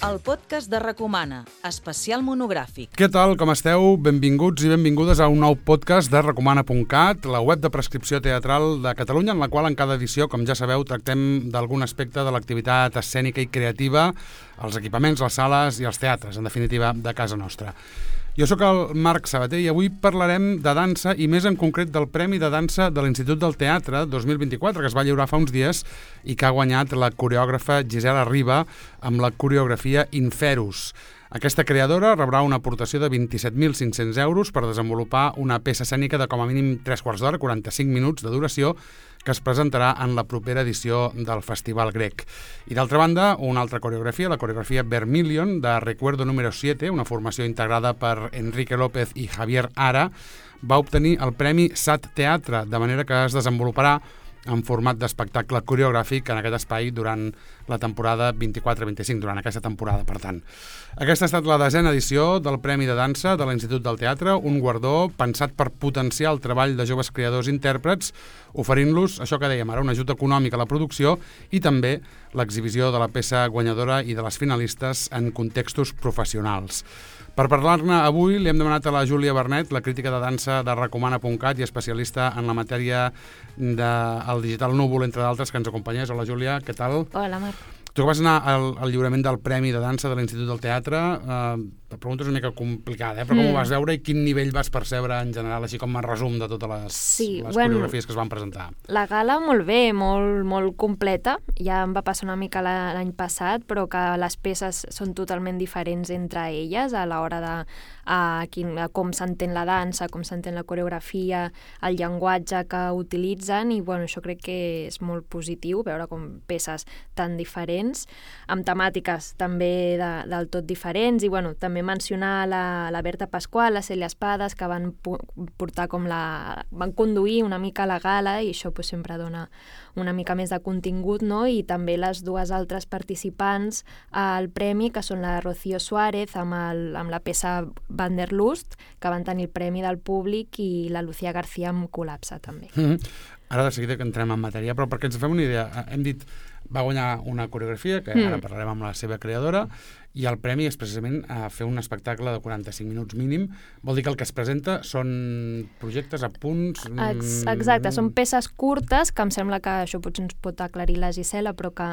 el podcast de Recomana, especial monogràfic. Què tal, com esteu? Benvinguts i benvingudes a un nou podcast de Recomana.cat, la web de prescripció teatral de Catalunya, en la qual en cada edició, com ja sabeu, tractem d'algun aspecte de l'activitat escènica i creativa, els equipaments, les sales i els teatres, en definitiva, de casa nostra. Jo sóc el Marc Sabater i avui parlarem de dansa i més en concret del Premi de Dansa de l'Institut del Teatre 2024, que es va lliurar fa uns dies i que ha guanyat la coreògrafa Gisela Riba amb la coreografia Inferus. Aquesta creadora rebrà una aportació de 27.500 euros per desenvolupar una peça escènica de com a mínim 3/4 d'hora, 45 minuts de duració, que es presentarà en la propera edició del Festival Grec. I d'altra banda, una altra coreografia, la coreografia Vermilion, de Recuerdo número 7, una formació integrada per Enrique López i Javier Ara, va obtenir el Premi SAT Teatre, de manera que es desenvoluparà en format d'espectacle coreogràfic en aquest espai durant la temporada 24-25, durant aquesta temporada, per tant. Aquesta ha estat la 10ª edició del Premi de Dansa de l'Institut del Teatre, un guardó pensat per potenciar el treball de joves creadors i intèrprets, oferint-los, això que dèiem ara, un ajut econòmic a la producció i també l'exhibició de la peça guanyadora i de les finalistes en contextos professionals. Per parlar-ne avui li hem demanat a la Júlia Bernet, la crítica de dansa de Recomana.cat i especialista en la matèria del digital núvol, entre d'altres, que ens acompanyés. Hola, Júlia, què tal? Hola, Marc. Tu que vas anar al lliurament del Premi de Dansa de l'Institut del Teatre, la pregunta és una mica complicada, però com ho vas veure i quin nivell vas percebre en general, així com a resum de totes les coreografies que es van presentar? La gala molt bé, molt completa. Ja em va passar una mica l'any passat, però que les peces són totalment diferents entre elles a l'hora de com s'entén la dansa, com s'entén la coreografia, el llenguatge que utilitzen, i això crec que és molt positiu, veure com peces tan diferents, amb temàtiques també del tot diferents, i també mencionar la Berta Pasqual, la Cèlia Espades, que van portar van conduir una mica la gala, i això sempre dona una mica més de contingut, no? I també les dues altres participants al premi, que són la Rocío Suárez amb la peça Wanderlust, que van tenir el premi del públic, i la Lucía García amb Col·lapse, també. Ara de seguida que entrem en matèria, però perquè ens fem una idea, hem dit, va guanyar una coreografia, que ara parlarem amb la seva creadora, i el premi és precisament a fer un espectacle de 45 minuts mínim. Vol dir que el que es presenta són projectes, apunts... Exacte, són peces curtes, que em sembla que això potser ens pot aclarir la Gisela, però que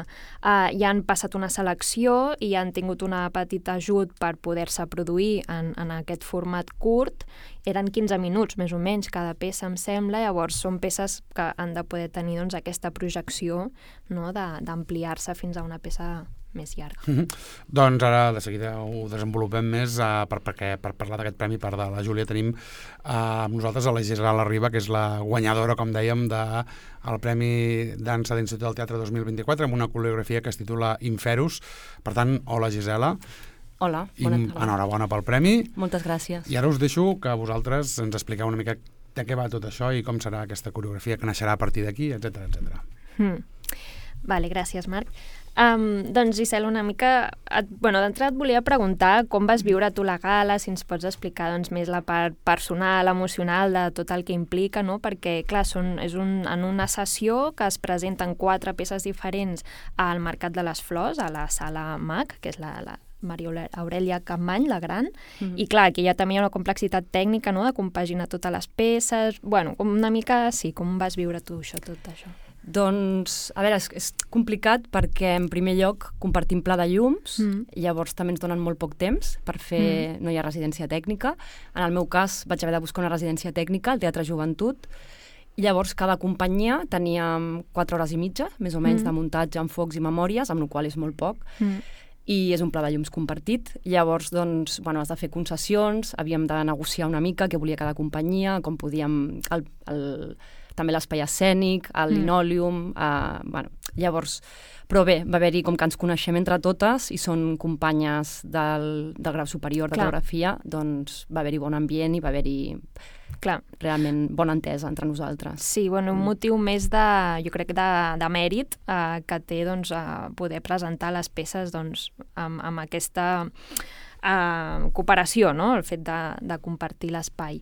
ja han passat una selecció i han tingut una petita ajut per poder-se produir en aquest format curt. Eren 15 minuts, més o menys, cada peça, em sembla. Llavors, són peces que han de poder tenir aquesta projecció, no?, d'ampliar-se fins a una peça més llarga. Doncs ara de seguida ho desenvolupem més, perquè per parlar d'aquest premi, part de la Júlia, tenim amb nosaltres a la Gisela Riba, que és la guanyadora, com dèiem, del Premi Dansa de l'Institut del Teatre 2024, amb una coreografia que es titula Inferus. Per tant, hola, Gisela. Hola, bona tarda. Enhorabona pel premi. Moltes gràcies. I ara us deixo que vosaltres ens expliqueu una mica de què va tot això i com serà aquesta coreografia que naixerà a partir d'aquí, etcètera, etcètera. Vale, gràcies, Marc. Doncs, Gisela, una mica... d'entrada et volia preguntar com vas viure tu la gala, si ens pots explicar més la part personal, emocional de tot el que implica, no? Perquè, clar, en una sessió que es presenten 4 peces diferents al Mercat de les Flors, a la Sala MAC, que és la Maria Aurèlia Capmany, la gran, i clar, aquí ja també hi ha una complexitat tècnica, no?, de compaginar totes les peces. Com una mica, sí, com vas viure tu tot això? Doncs, a veure, és complicat perquè en primer lloc compartim pla de llums, llavors també ens donen molt poc temps per fer, no hi ha residència tècnica. En el meu cas vaig haver de buscar una residència tècnica al Teatre Joventut, i llavors cada companyia tenia 4 hores i mitja, més o menys, de muntatge amb focs i memòries, amb la qual és molt poc, i és un pla de llums compartit. Llavors, doncs, has de fer concessions, havíem de negociar una mica què volia cada companyia, com podíem... també l'espai escènic, el linòleum, llavors... Però bé, va haver-hi com que ens coneixem entre totes i són companyes del grau superior de coreografia, doncs va haver-hi bon ambient i va haver-hi realment bona entesa entre nosaltres. Sí, un motiu més jo crec de mèrit que té poder presentar les peces amb aquesta cooperació, no?, el fet de compartir l'espai.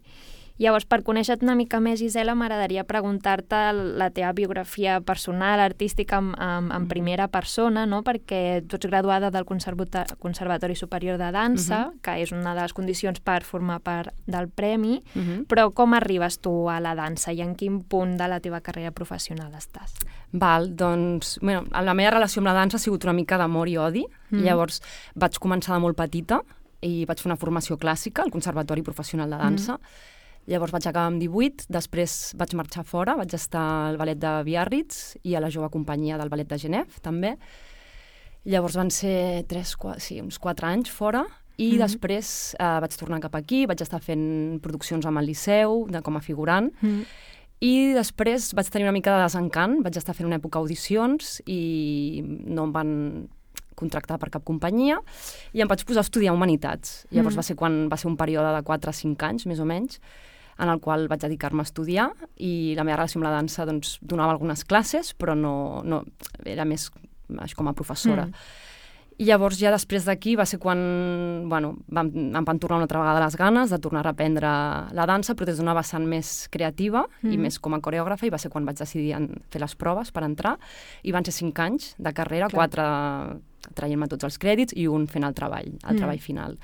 Llavors, per conèixer-te una mica més, Gisela, m'agradaria preguntar-te la teva biografia personal, artística, en primera persona, no? Perquè tu ets graduada del Conservatori Superior de Dansa, que és una de les condicions per formar part del premi, però com arribes tu a la dansa i en quin punt de la teva carrera professional estàs? Val, doncs, bueno, la meva relació amb la dansa ha sigut una mica d'amor i odi. Llavors vaig començar de molt petita i vaig fer una formació clàssica al Conservatori Professional de Dansa. Llavors vaig acabar amb 18, després vaig marxar fora, vaig estar al ballet de Biarritz i a la jove companyia del ballet de Genève, també. Llavors van ser uns 4 anys fora i després vaig tornar cap aquí, vaig estar fent produccions amb el Liceu, com a figurant, i després vaig tenir una mica de desencant, vaig estar fent una època audicions i no em van contractar per cap companyia i em vaig posar a estudiar Humanitats. Llavors va ser un període de 4 a 5 anys, més o menys, en el qual vaig dedicar-me a estudiar i la meva relació amb la dansa doncs, donava algunes classes, però no era més com a professora. I llavors ja després d'aquí va ser quan em van tornar una altra vegada les ganes de tornar a reprendre la dansa, però des d'una vessant més creativa i més com a coreògrafa, i va ser quan vaig decidir fer les proves per entrar, i van ser 5 anys de carrera, 4 traient-me tots els crèdits i un fent el treball final.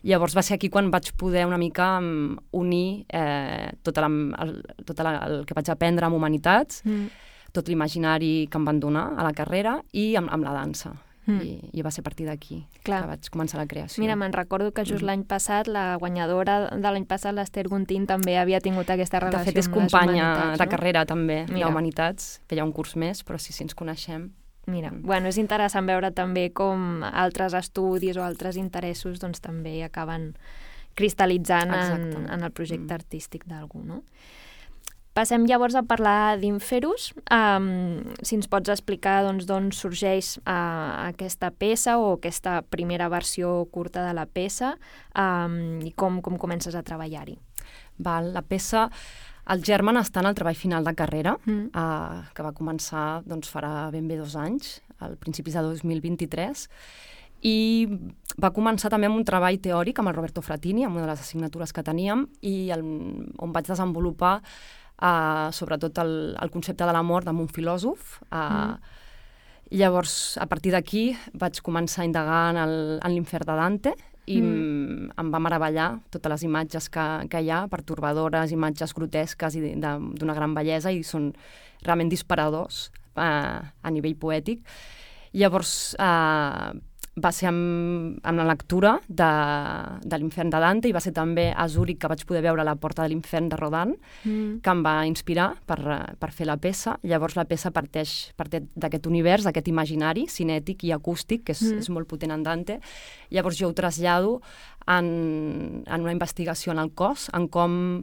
Llavors va ser aquí quan vaig poder una mica unir tot el que vaig aprendre amb Humanitats, tot l'imaginari que em van donar a la carrera i amb la dansa. I va ser a partir d'aquí que vaig començar la creació. Mira, me'n recordo que just l'any passat la guanyadora de l'any passat, l'Ester Guntín, també havia tingut aquesta relació amb les Humanitats. De fet, és companya de carrera també, d'Humanitats, feia un curs més, però sí, ens coneixem. Mira, bueno, és interessant veure també com altres estudis o altres interessos doncs també acaben cristal·litzant en el projecte artístic d'algú, no? Passem llavors a parlar d'Inferus. Si ens pots explicar d'on sorgeix aquesta peça o aquesta primera versió curta de la peça i com comences a treballar-hi. La peça, el germen està en el treball final de carrera, que va començar farà ben bé 2 anys, al principis de 2023, i va començar també amb un treball teòric amb el Roberto Fratini, amb una de les assignatures que teníem, i on vaig desenvolupar sobretot el concepte de la mort amb un filòsof. Llavors, a partir d'aquí, vaig començar a indagar en l'Infern de Dante i em va meravellar totes les imatges que hi ha, pertorbadores, imatges grotesques i d'una gran bellesa, i són realment disparadors a nivell poètic. Llavors, va ser amb la lectura de l'Infern de Dante, i va ser també a Zúrich que vaig poder veure La porta de l'Infern de Rodin, que em va inspirar per fer la peça. Llavors la peça parteix d'aquest univers, d'aquest imaginari cinètic i acústic, que és molt potent en Dante. Llavors jo ho trasllado en una investigació en el cos, en com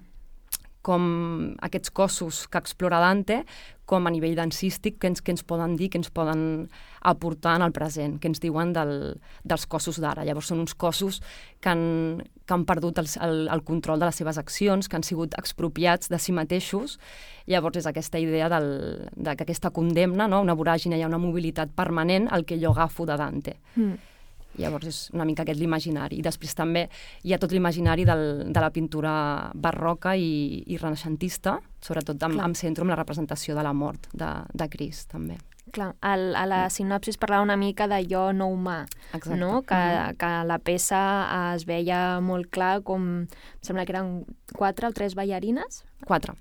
aquests cossos que explora Dante, com a nivell dansístic, que ens poden dir, que ens poden aportar en el present, que ens diuen dels cossos d'ara. Llavors són uns cossos que han perdut el control de les seves accions, que han sigut expropiats de si mateixos. Llavors és aquesta idea d'aquesta condemna, no? Una voràgine, hi ha una mobilitat permanent al que jo agafo de Dante. Llavors és una mica aquest l'imaginari. I després també hi ha tot l'imaginari de la pintura barroca i renaixentista, sobretot amb centre amb la representació de la mort de Crist, també. Clar, a la sinopsis parlava una mica de jo no humà, no? Que la peça es veia molt clar com, em sembla que eren 4 o 3 ballarines? 4.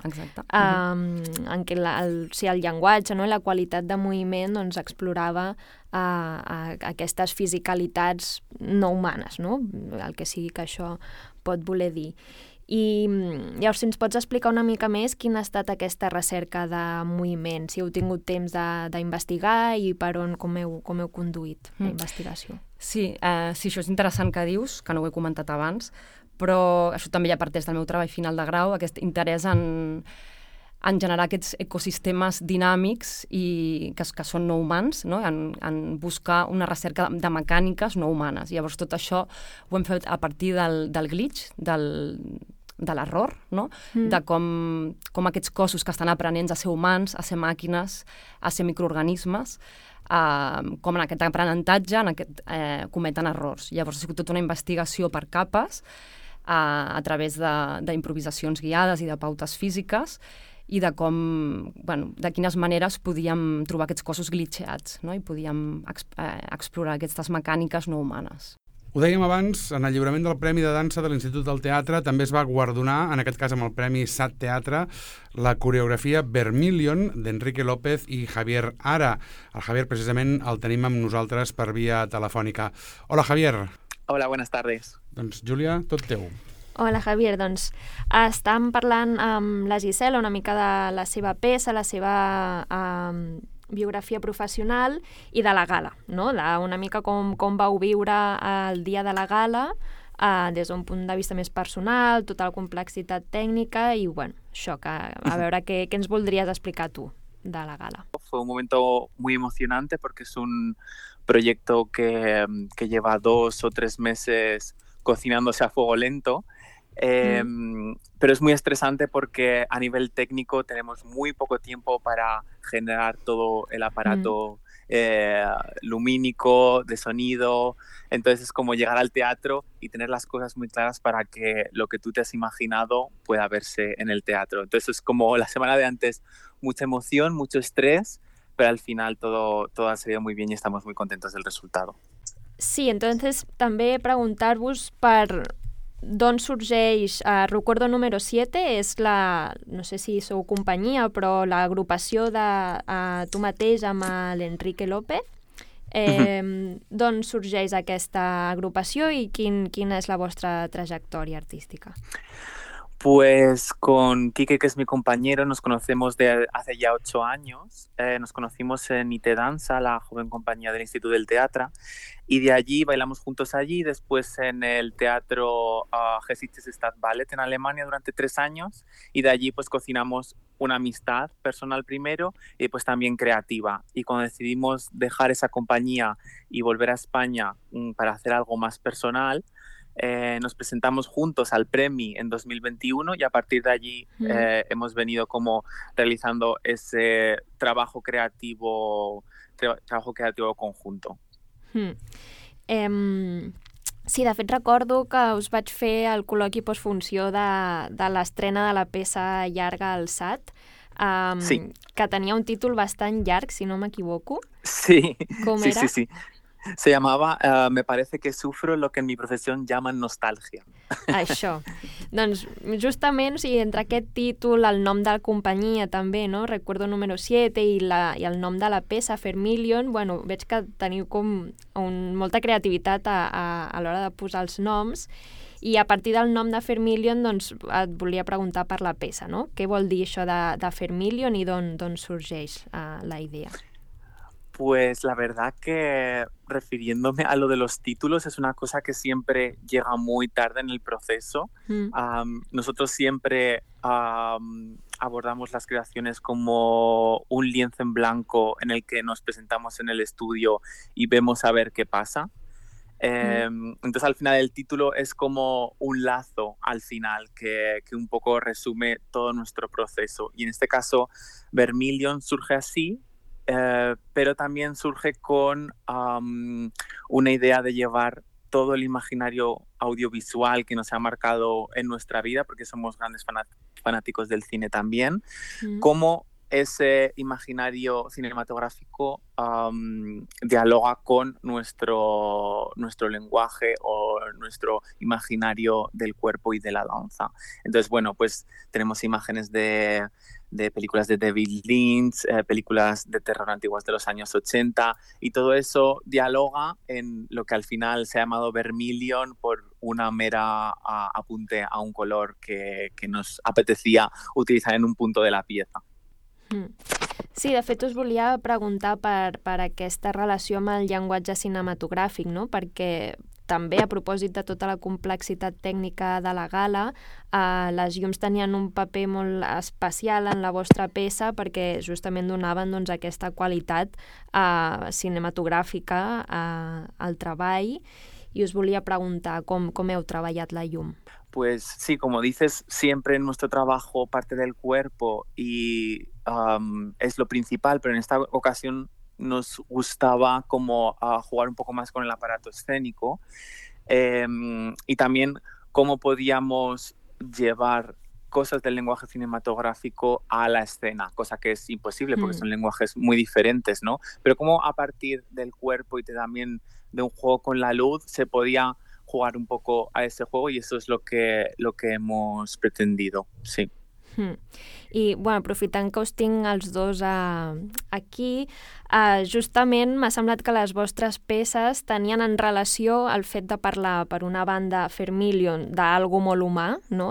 Exacte. En què el llenguatge, no? I la qualitat de moviment doncs, explorava aquestes fisicalitats no humanes, no? El que sigui que això pot voler dir. I llavors, si ens pots explicar una mica més quina ha estat aquesta recerca de moviment, si heu tingut temps d'investigar i per on, com heu conduït la investigació. Sí, això és interessant que dius, que no ho he comentat abans, però això també ja parteix del meu treball final de grau, aquest interès en generar aquests ecosistemes dinàmics i que són no humans, no? En buscar una recerca de mecàniques no humanes. Llavors tot això ho hem fet a partir del glitch, de l'error, no? De com aquests cossos que estan aprenents a ser humans, a ser màquines, a ser microorganismes, com en aquest aprenentatge cometen errors. Llavors ha sigut tota una investigació per capes, a través d'improvisacions guiades i de pautes físiques i de de quines maneres podíem trobar aquests cossos glitcheats, no? I podíem explorar aquestes mecàniques no humanes. Ho dèiem abans, en el lliurament del Premi de Dansa de l'Institut del Teatre també es va guardonar, en aquest cas amb el Premi SAT Teatre, la coreografia Vermilion d'Enrique López i Javier Ara. El Javier, precisament, el tenim amb nosaltres per via telefònica. Hola, Javier. Hola, buenas tardes. Doncs, Júlia, tot teu. Hola, Javier. Doncs estàvem parlant amb la Gisela una mica de la seva peça, la seva biografia professional i de la gala, no? Una mica com vau viure el dia de la gala des d'un punt de vista més personal, tota la complexitat tècnica i, bueno, això, a veure què ens voldries explicar tu de la gala. Fue un momento muy emocionante porque es un proyecto que lleva 2 o 3 meses cocinándose a fuego lento. Pero es muy estresante porque a nivel técnico tenemos muy poco tiempo para generar todo el aparato lumínico, de sonido. Entonces es como llegar al teatro y tener las cosas muy claras para que lo que tú te has imaginado pueda verse en el teatro. Entonces es como la semana de antes, mucha emoción, mucho estrés, pero al final todo ha salido muy bien y estamos muy contentos del resultado. Sí, entonces també preguntar-vos per d'on sorgeix Recuerdo número 7, és no sé si sou companyia, però l'agrupació de tu mateix amb l'Enrique López. D'on sorgeix aquesta agrupació i quina és la vostra trajectòria artística? Pues con Quique, que es mi compañero, nos conocemos de hace ya 8 años. Nos conocimos en IT Dansa, la joven compañía del Instituto del Teatre, y de allí bailamos juntos allí, después en el teatro Geschichte Stadtballet en Alemania durante 3 años, y de allí pues cocinamos una amistad personal primero y pues también creativa. Y cuando decidimos dejar esa compañía y volver a España para hacer algo más personal, nos presentamos juntos al Premi en 2021 y a partir de allí hemos venido como realizando ese trabajo creativo conjunto. Sí, de fet recordo que us vaig fer el col·loqui postfunció de l'estrena de la peça llarga al SAT, sí. Que tenia un títol bastant llarg, si no m'equivoco. Sí, Com sí, era? sí. Se llamava Me parece que sufro lo que en mi profesión llaman nostalgia. Això. Doncs justament, o sigui, entre aquest títol, el nom de la companyia també, no? Recuerdo número 7 i el nom de la peça, Vermilion, bueno, veig que teniu com molta creativitat a l'hora de posar els noms i a partir del nom de Vermilion doncs, et volia preguntar per la peça, no? Què vol dir això de Vermilion i d'on sorgeix la idea? Pues la verdad que refiriéndome a lo de los títulos es una cosa que siempre llega muy tarde en el proceso. Nosotros siempre abordamos las creaciones como un lienzo en blanco en el que nos presentamos en el estudio y vemos a ver qué pasa. Entonces al final el título es como un lazo al final que un poco resume todo nuestro proceso. Y en este caso Vermilion surge así. Pero también surge con una idea de llevar todo el imaginario audiovisual que nos ha marcado en nuestra vida, porque somos grandes fanáticos del cine también, como ese imaginario cinematográfico dialoga con nuestro lenguaje o nuestro imaginario del cuerpo y de la danza. Entonces, bueno, pues tenemos imágenes de películas de David Lynch, películas de terror antiguas de los años 80, y todo eso dialoga en lo que al final se ha llamado Vermilion por una mera apunte a un color que nos apetecía utilizar en un punto de la pieza. Sí, de fet us volia preguntar per aquesta relació amb el llenguatge cinematogràfic, no? Perquè també a propòsit de tota la complexitat tècnica de la gala, les llums tenien un paper molt especial en la vostra peça perquè justament donaven doncs, aquesta qualitat cinematogràfica al treball i us volia preguntar com heu treballat la llum. Pues sí, como dices, siempre en nuestro trabajo parte del cuerpo y es lo principal, pero en esta ocasión nos gustaba como jugar un poco más con el aparato escénico y también cómo podíamos llevar cosas del lenguaje cinematográfico a la escena, cosa que es imposible porque son lenguajes muy diferentes, ¿no? Pero cómo a partir del cuerpo y también de un juego con la luz se podía jugar un poco a ese juego, y eso es lo que hemos pretendido, sí. I, bueno, aprofitant que us tinc els dos aquí, justament m'ha semblat que les vostres peces tenien en relació el fet de parlar, per una banda, Fermilion, d'algo molt humà, no?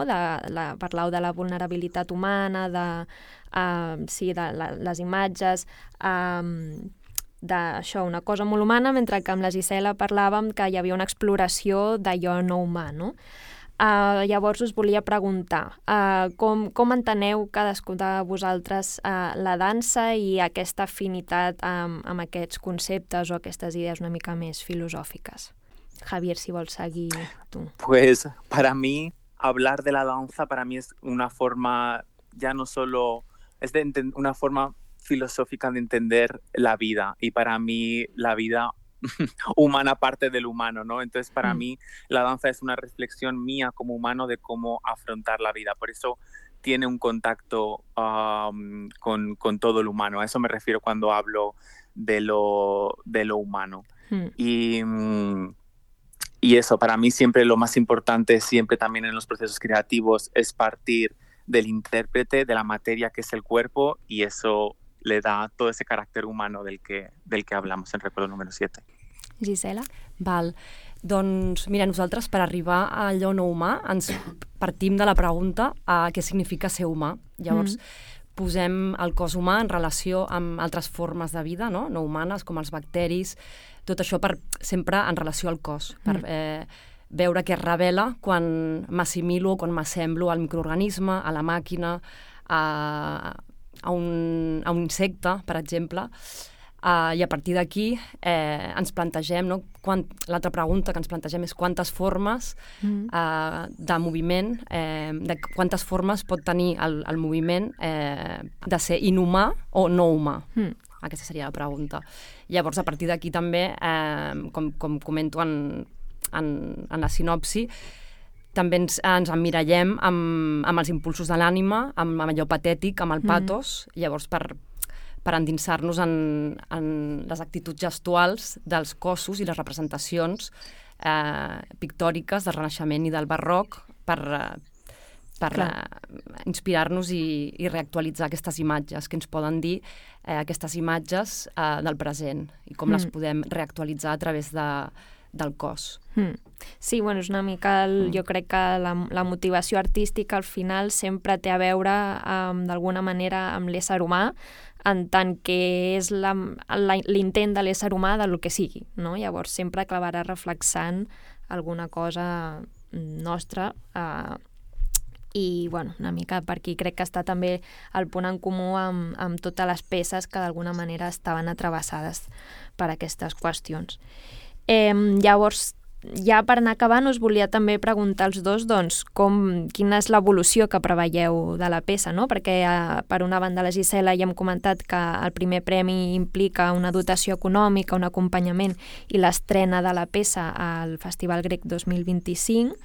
Parlau de la vulnerabilitat humana, de les imatges, d'això, una cosa molt humana, mentre que amb la Gisela parlàvem que hi havia una exploració d'allò no humà, no? Llavors us volia preguntar com enteneu cadascú de vosaltres la dansa i aquesta afinitat amb aquests conceptes o aquestes idees una mica més filosòfiques. Javier, si vols seguir tu. Pues para mí hablar de la danza para mí es una forma, ya no solo, es una forma filosófica de entender la vida, y para mí la vida humana parte del humano, ¿no? Entonces para mí la danza es una reflexión mía como humano de cómo afrontar la vida, por eso tiene un contacto con todo el humano, a eso me refiero cuando hablo de lo humano. Y eso, para mí siempre lo más importante, siempre también en los procesos creativos, es partir del intérprete, de la materia que es el cuerpo, y eso le da todo ese carácter humano del que hablamos en Recuerdo número 7. Gisela? Val. Doncs, mira, nosaltres per arribar a allò no humà ens partim de la pregunta a què significa ser humà. Llavors, posem el cos humà en relació amb altres formes de vida, no humanes, com els bacteris, tot això sempre en relació al cos, per veure què es revela quan m'assimilo, quan m'assemblo al microorganisme, a la màquina, a un insecte, per exemple, i a partir d'aquí ens plantegem, l'altra pregunta que ens plantegem és quantes formes de moviment, de quantes formes pot tenir el moviment de ser inhumà o no humà. Aquesta seria la pregunta. Llavors, a partir d'aquí també, com comento en la sinopsi, també ens emmirallem amb els impulsos de l'ànima, amb allò patètic, amb el patos, llavors per endinsar-nos en les actituds gestuals dels cossos i les representacions pictòriques del Renaixement i del Barroc per inspirar-nos i reactualitzar aquestes imatges que ens poden dir aquestes imatges del present i com les podem reactualitzar a través del cos. Sí, bueno, és una mica, jo crec que la motivació artística al final sempre té a veure d'alguna manera amb l'ésser humà, en tant que és l'intent de l'ésser humà del que sigui, no? Llavors sempre acabarà reflexant alguna cosa nostra i, bueno, una mica per aquí crec que està també el punt en comú amb totes les peces que d'alguna manera estaven atrevessades per aquestes qüestions. Llavors, ja per anar acabant, us volia també preguntar als dos quina és l'evolució que preveieu de la peça, no? Perquè per una banda la Gisela ja hem comentat que el primer premi implica una dotació econòmica, un acompanyament i l'estrena de la peça al Festival Grec 2025.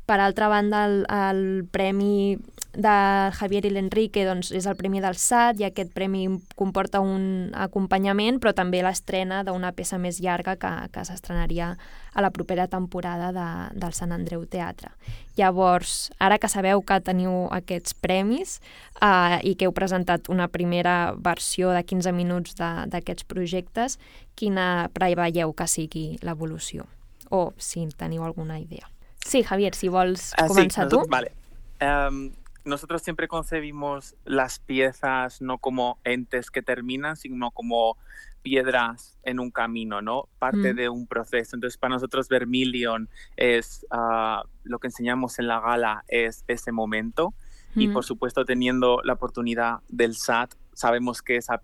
Per altra banda, el premi de Javier i l'Enrique és el premi del SAT i aquest premi comporta un acompanyament, però també l'estrena d'una peça més llarga que s'estrenaria a la propera temporada del Sant Andreu Teatre. Llavors, ara que sabeu que teniu aquests premis i que heu presentat una primera versió de 15 minuts d'aquests projectes, quina preveieu que sigui l'evolució? O si teniu alguna idea. Sí, Javier, si vols comenzar tú. Vale. Nosotros siempre concebimos las piezas no como entes que terminan, sino como piedras en un camino, ¿no? Parte de un proceso. Entonces, para nosotros Vermilion es lo que enseñamos en la gala, es ese momento. Y, por supuesto, teniendo la oportunidad del SAT, sabemos que esa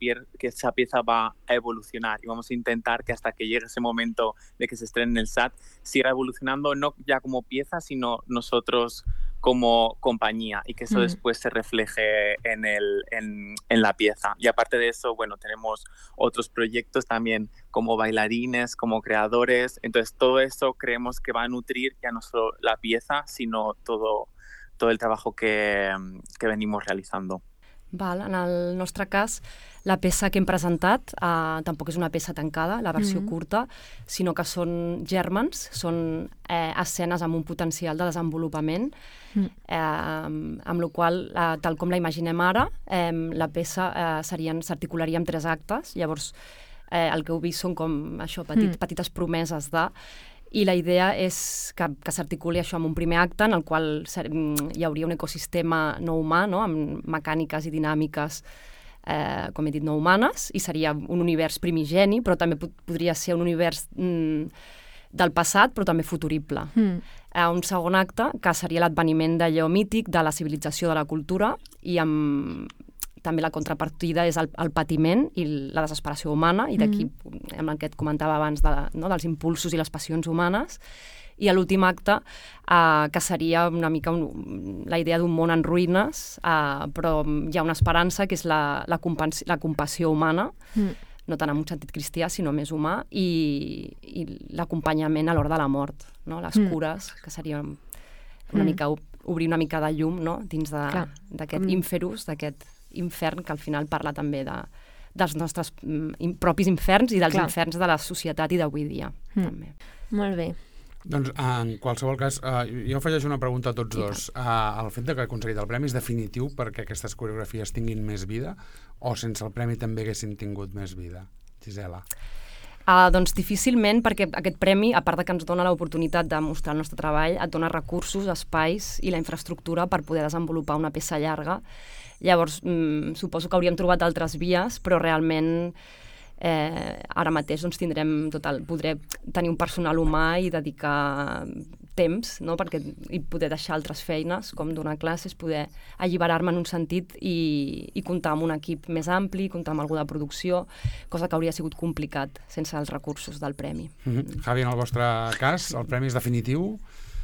pieza va a evolucionar y vamos a intentar que hasta que llegue ese momento de que se estrene en el SAT siga evolucionando, no ya como pieza, sino nosotros como compañía y que eso después se refleje en la pieza. Y aparte de eso, bueno, tenemos otros proyectos también como bailarines, como creadores. Entonces todo eso creemos que va a nutrir ya no solo la pieza, sino todo el trabajo que venimos realizando. Val, en el nostre cas, la peça que hem presentat tampoc és una peça tancada, la versió curta, sinó que són gèrmens, són escenes amb un potencial de desenvolupament, amb la qual, tal com la imaginem ara, la peça s'articularia en 3 actes. Llavors, el que heu vist són com això, petites promeses de... I la idea és que s'articuli això amb un primer acte en el qual hi hauria un ecosistema no humà, no? Amb mecàniques i dinàmiques, com he dit, no humanes, i seria un univers primigeni, però també podria ser un univers del passat, però també futurible. Un segon acte, que seria l'adveniment d'allò mític, de la civilització, de la cultura, i també la contrapartida és el patiment i la desesperació humana, i d'aquí, amb el que et comentava abans, dels impulsos i les passions humanes. I l'últim acte, que seria una mica la idea d'un món en ruïnes, però hi ha una esperança, que és la compassió humana, no tant en un sentit cristià, sinó més humà, i l'acompanyament a l'hora de la mort, no? Les cures, que seria una mica obrir una mica de llum, no? Dins d'aquest ínferus, d'aquest infern, que al final parla també dels nostres propis inferns i dels inferns de la societat i d'avui dia. També. Molt bé. Doncs, en qualsevol cas, jo afegeixo una pregunta a tots dos. El fet que aconseguit el premi és definitiu perquè aquestes coreografies tinguin més vida, o sense el premi també haguessin tingut més vida? Gisela. Doncs difícilment, perquè aquest premi, a part de que ens dona l'oportunitat de mostrar el nostre treball, et dona recursos, espais i la infraestructura per poder desenvolupar una peça llarga. Llavors, suposo que hauríem trobat altres vies, però realment ara mateix podré tenir un personal humà i dedicar temps, no? I poder deixar altres feines, com donar classes, poder alliberar-me en un sentit i comptar amb un equip més ampli, comptar amb algú de producció, cosa que hauria sigut complicat sense els recursos del premi. Javi, en el vostre cas, el premi és definitiu?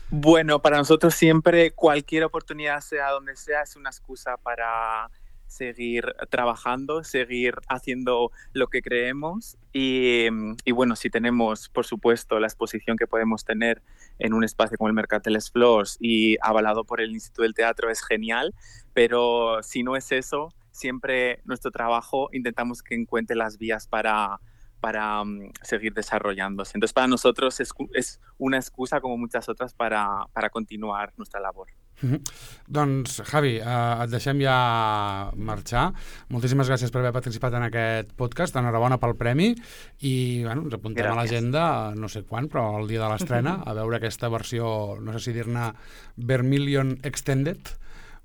Bueno, para nosotros siempre cualquier oportunidad, sea donde sea, es una excusa para seguir trabajando, seguir haciendo lo que creemos y bueno, si tenemos, por supuesto, la exposición que podemos tener en un espacio como el Mercat de les Flors y avalado por el Instituto del Teatro es genial, pero si no es eso, siempre nuestro trabajo intentamos que encuentre las vías para seguir desarrollándose. Entonces, para nosotros es una excusa, como muchas otras, para continuar nuestra labor. Doncs, Javi, et deixem ja marxar. Moltíssimes gràcies per haver participat en aquest podcast. Enhorabona pel premi i ens apuntem a l'agenda, no sé quan, però el dia de l'estrena, a veure aquesta versió, no sé si dir-ne Vermilion Extended,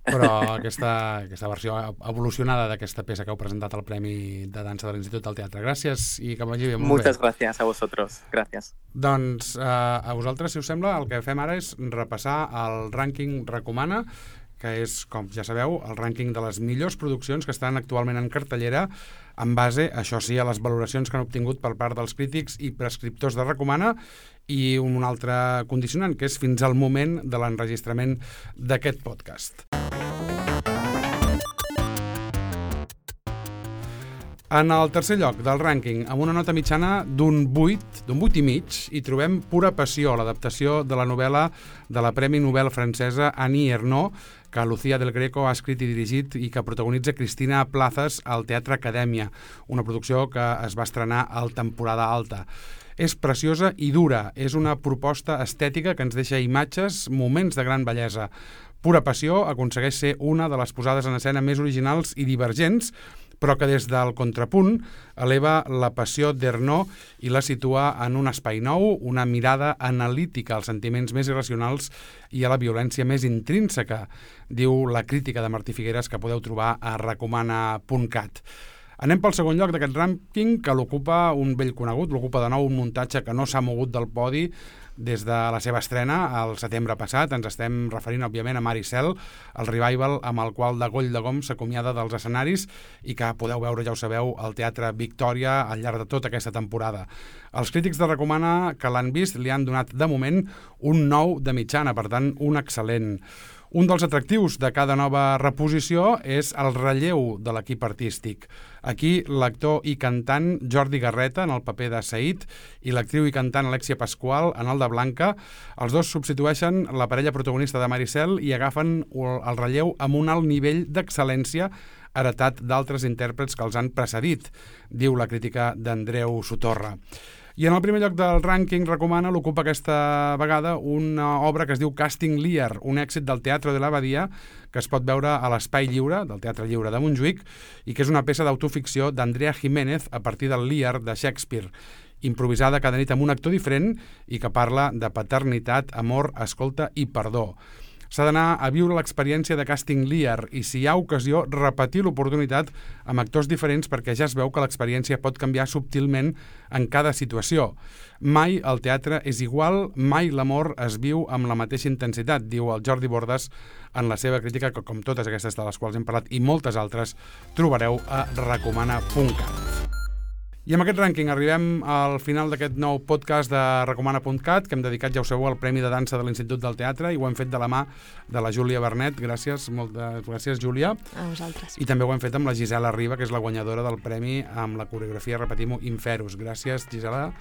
però aquesta versió evolucionada d'aquesta peça que heu presentat al Premi de Dansa de l'Institut del Teatre. Gràcies i que vagi bé. Muchas gracias a vosotros. Gracias. Doncs a vosaltres, si us sembla, el que fem ara és repassar el rànquing Recomana, que és, com ja sabeu, el rànquing de les millors produccions que estan actualment en cartellera en base, això sí, a les valoracions que han obtingut per part dels crítics i prescriptors de Recomana i un altre condicionant, que és fins al moment de l'enregistrament d'aquest podcast. En el tercer lloc del rànquing, amb una nota mitjana d'un 8 i mig, hi trobem Pura passió, l'adaptació de la novel·la de la Premi Nobel francesa Annie Ernaux, que Lucía del Greco ha escrit i dirigit i que protagonitza Cristina Plazas al Teatre Acadèmia, una producció que es va estrenar al temporada alta. És preciosa i dura, és una proposta estètica que ens deixa imatges, moments de gran bellesa. Pura passió aconsegueix ser una de les posades en escena més originals i divergents, però que des del contrapunt eleva la passió d'Ernaux i la situa en un espai nou, una mirada analítica als sentiments més irracionals i a la violència més intrínseca, diu la crítica de Martí Figueres, que podeu trobar a recomana.cat. Anem pel segon lloc d'aquest rànquing, que l'ocupa un vell conegut, l'ocupa de nou un muntatge que no s'ha mogut del podi des de la seva estrena al setembre passat. Ens estem referint, òbviament, a Mar i Cel, el revival amb el qual Degoll de Gom s'acomiada dels escenaris i que podeu veure, ja ho sabeu, al Teatre Victòria al llarg de tota aquesta temporada. Els crítics de Recomana que l'han vist li han donat, de moment, un 9 de mitjana, per tant, un excel·lent. Un dels atractius de cada nova reposició és el relleu de l'equip artístic. Aquí, l'actor i cantant Jordi Garreta en el paper de Said i l'actriu i cantant Alexia Pascual en el de Blanca. Els dos substitueixen la parella protagonista de Maricel i agafen el relleu amb un alt nivell d'excel·lència heretat d'altres intèrprets que els han precedit, diu la crítica d'Andreu Sotorra. I en el primer lloc del rànquing recomana l'ocupa aquesta vegada una obra que es diu Casting Lear, un èxit del Teatro de l'Abadia que es pot veure a l'Espai Lliure, del Teatre Lliure de Montjuïc, i que és una peça d'autoficció d'Andrea Jiménez a partir del Lear de Shakespeare, improvisada cada nit amb un actor diferent i que parla de paternitat, amor, escolta i perdó. S'ha d'anar a viure l'experiència de Casting Lear i, si hi ha ocasió, repetir l'oportunitat amb actors diferents perquè ja es veu que l'experiència pot canviar subtilment en cada situació. Mai el teatre és igual, mai l'amor es viu amb la mateixa intensitat, diu el Jordi Bordes en la seva crítica, que com totes aquestes de les quals hem parlat i moltes altres trobareu a recomana.cat. I amb aquest rànquing arribem al final d'aquest nou podcast de recomana.cat, que hem dedicat, ja ho sabeu, al Premi de Dansa de l'Institut del Teatre, i ho hem fet de la mà de la Júlia Bernet. Gràcies, moltes gràcies, Júlia. A vosaltres. I també ho hem fet amb la Gisela Riba, que és la guanyadora del premi amb la coreografia, repetim-ho, Inferus. Gràcies, Gisela.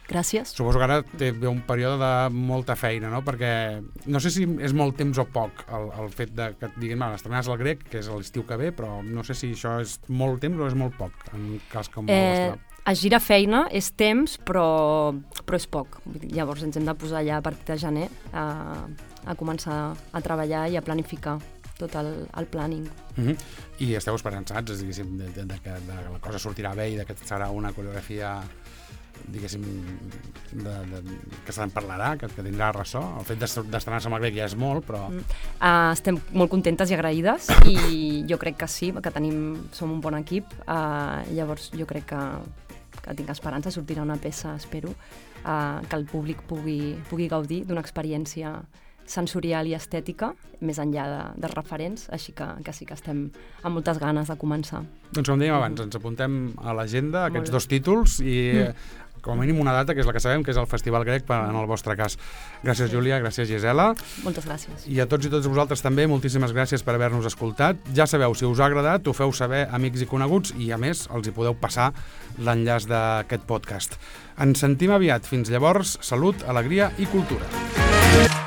Gràcies. Suposo que ara té un període de molta feina, no? Perquè no sé si és molt temps o poc el fet de que et diguin, estrenaràs el Grec, que és l'estiu que ve, però no sé si això és molt temps o és molt poc, en cas com el vostre. Es gira feina, és temps, però és poc. Llavors ens hem de posar ja a partir de gener a començar a treballar i a planificar tot el planning. I esteu esperançats, diguéssim, de que la cosa sortirà bé i de que serà una coreografia, diguéssim, que se'n parlarà, que tindrà ressò. El fet d'estrenar-se amb el Grec ja és molt, però... Estem molt contentes i agraïdes i jo crec que sí, que som un bon equip. Llavors jo crec que tinc esperança, sortirà una peça, espero, que el públic pugui gaudir d'una experiència sensorial i estètica, més enllà dels referents, així que sí que estem amb moltes ganes de començar. Doncs com dèiem abans, ens apuntem a l'agenda aquests dos títols i com a mínim una data, que és la que sabem, que és el Festival Grec en el vostre cas. Gràcies, Júlia, gràcies, Gisela. Moltes gràcies. I a tots i totes vosaltres també, moltíssimes gràcies per haver-nos escoltat. Ja sabeu, si us ha agradat, ho feu saber amics i coneguts i, a més, els hi podeu passar l'enllaç d'aquest podcast. Ens sentim aviat. Fins llavors, salut, alegria i cultura.